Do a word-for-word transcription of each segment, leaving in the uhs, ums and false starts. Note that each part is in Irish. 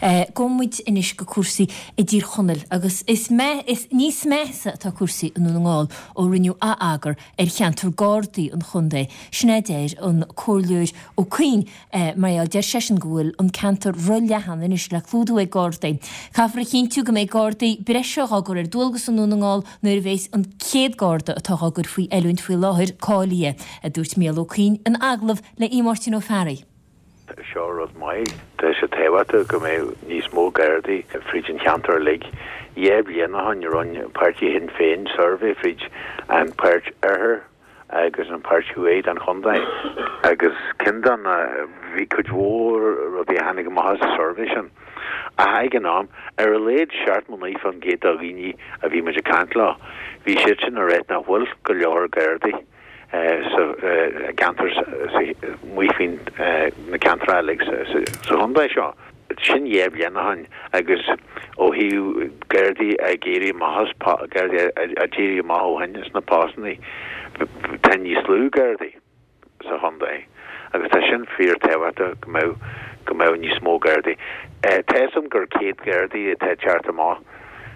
Gabhfaidh muid anois go cúrsaí i dTír Chonaill agus is me is níos measa atá cúrsaí i nDún na nGall ó rinneadh atheagar ar cheantar Gardaí an chontae. Sin a deir an Comhairleoir Ó Cuinn mar deir seisean go bhfuil an ceantar róleathan anois le clúdú ag Gardaí. Caithfear a chinntiú go mbeidh Gardaí breise á gcur ar dualgas i nDún na nGall nuair a bheas an céad Garda atá á gcur faoi oiliúint faoi láthair cáilithe, a dúirt Mícheál Ó Cuinn in agallamh le Máirtín Ó Fearraigh. Seo rud maith Tá sé tábhachtach go mbeidh níos mó Gardaí fríd an cheantar uilig. Dhá bhliain ó shin rinne páirtí Shinn Féin suirbhé fríd an páirt oirthir agus an páirt thuaidh den chontae agus ceann de na bhí cuid mhór rudaí a tháinig amach as an suirbhé sin. A ag an am ar a laghad seachtó naoi faoin gcéad de dhaoine a bhí muid ag caint leo. Bhí siad sin ag rá nach bhfuil go leor Gardaí sa gceantar amuigh faoin na ceantar uilig sa chontae seo. Sin dhá bhliain ó shin agus ó thaobh Gardaí ag éirí amach Gardaí a d'éirigh amach ó shin sna postanna tá níos lú Gardaí sa chontae agus tá sin fíorthábhachtach go mbeadh go mbeadh níos mó Gardaí. Tá a fhios agam gur céad Gardaí atá teacht amach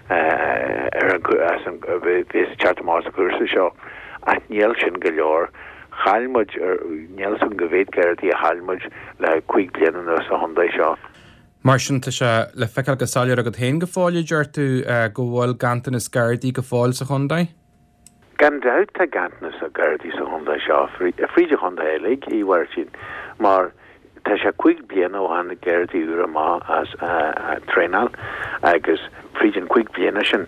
ar an bhí teacht amach sa chúrsa seo ach níl sin go leor. Chaill muid níl san go mhéad Gardaí a chaill muid le cúig bliana anuas sa chontae seo. Mar sin tá sé le feiceáil go soiléir agat féin go fóill deir tú go bhfuil ganntanas Gardaí go fóill sa chontae? Gan dabht tá ganntanas Gardaí sa chontae seo fríd an chontae uilig a Mháirtín mar tá sé cúig bliana ó tháinig Gardaí úr amach as traenáil agus fríd an cúig bliana sin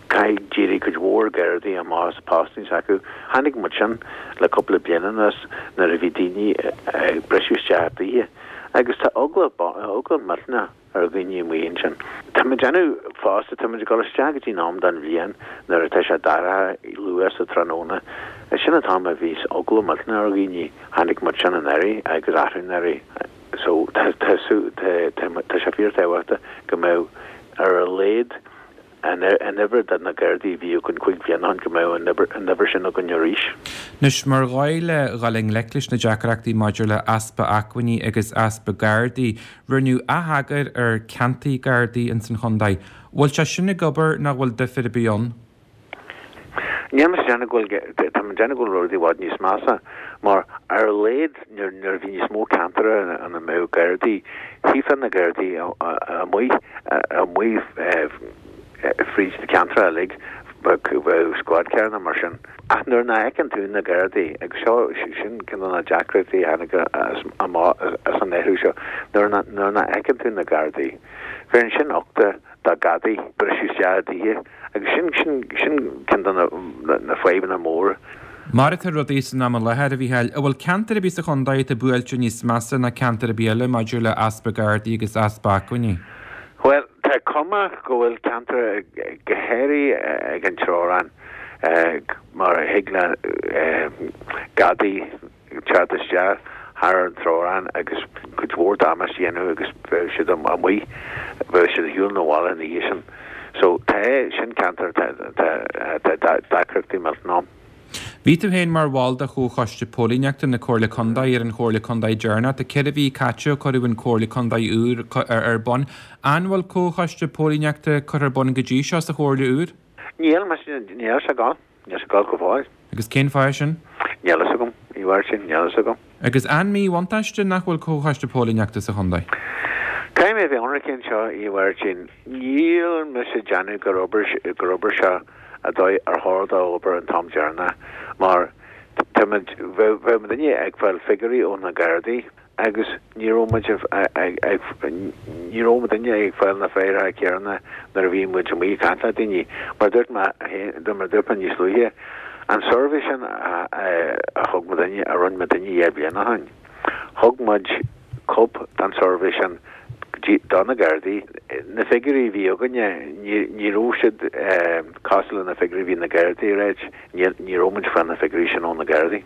caithfidh d'éirigh cuid mhór Gardaí amach as postanna s'acu. Tháinig muid sin le cúpla bliain anuas nuair a bhí daoine ag briseadh isteach i dtithe agus tá eagla eagla millteanach ar dhaoine amuigh ansin. Tá muid déanamh fosta tá muid ag dul isteach go dtí an am den bhliain nuair atá sé dorcha luath sa tráthnóna. Sin an t-am a bhí eagla millteanach ar dhaoine tháinig muid sin anuraidh agus athrú anuraidh. So tá tá tá sé fíorthábhachtach go mbeadh ar a laghad an uimhir de na Gardaí a bhí againn cúig bliana ó shin go mbeadh an uimhir sin againn arís. Anois mar dhóigh le dhul i ngleic leis na deacrachtaí maidir le easpa acmhainní agus easpa Gardaí, rinneadh atheagar ar ceantair Gardaí ins an chontae. Bhfuil sé sin ag obair nach bhfuil difear ar bith ann? Níl mé déanamh go bhfuil tá mé déanamh go bhfuil rudaí i bhfad níos measa mar ar a laghad nuair a bhí níos mó ceantar ina mbeadh Gardaí, chífeá na Gardaí amuigh amuigh fríd na ceantar uilig bheadh squad carranna mar sin. Ach nuair nach bhfeiceann tú na Gardaí agus seo sin ceann de na deacrachtaí a tháinig amach as an athrú seo nuair nuair nach bhfeiceann tú na Gardaí. Bheireann sin uchta do ghadaí briseadh isteach i dtithe agus sin sin sin ceann de na na fadhbanna móra. Mar atá rudaí san am i láthair a Mhícheáil, an bhfuil ceantar ar bith sa chontae atá buailte níos measa ná ceantar ar bith eile maidir le easpa Gardaí agus easpa acmhainní? Well tá cuma go bhfuil ceantar go háirithe ag an teorainn mar a thig le gadaí teacht isteach thar an teorainn agus cuid mhór damáiste a dhéanamh agus bheadh siad amuigh bheadh siad ar shiúl na bhaile ina dhiaidh sin. So tá sin ceantar tá deacrachtaí millteanach ann. Bhí tú féin mar bhall de chomhchoiste póilíneachta na Comhairle Contae ar an Chomhairle Contae deireanach, tá ceithre mhí caite ó cuireadh an Comhairle Contae úr ar bun. An bhfuil comhchoiste póilíneachta curtha ar bun go dtí seo sa Chomhairle úr? Níl níl sé gan, níl sé gan go fóill. Agus cén fáth sin? Níl a fhios agam, ní bhfuair sin, níl a fhios agam. Agus an míbhuntáiste nach bhfuil comhchoiste póilíneachta sa chontae? Caithfidh mé bheith ionraic anseo a Mháirtín, níl mise ag déanamh gur obair gur obair seo a dóigh ar chóir dó obair an t-am deireanach mar táimid bheadh muidinne ag fáil figiúirí ó na Gardaí agus ní raibh muid ag ní raibh muidinne ag fáil na figiúirí céanna nuair a bhí muid amuigh ag caint le daoine mar dúirt mé mar dúirt mé níos luaithe an suirbhé sin a thug muidinne a rinne muidinne dhá bhliain ó shin. Thug muid cóip den suirbhé sin do na Gardaí. Na figiúirí a bhí againne ní raibh siad cosúil le na figiúirí a bhí na Gardaí ag ráit, ní raibh muid ag fáil na figiúirí sin ó na Gardaí.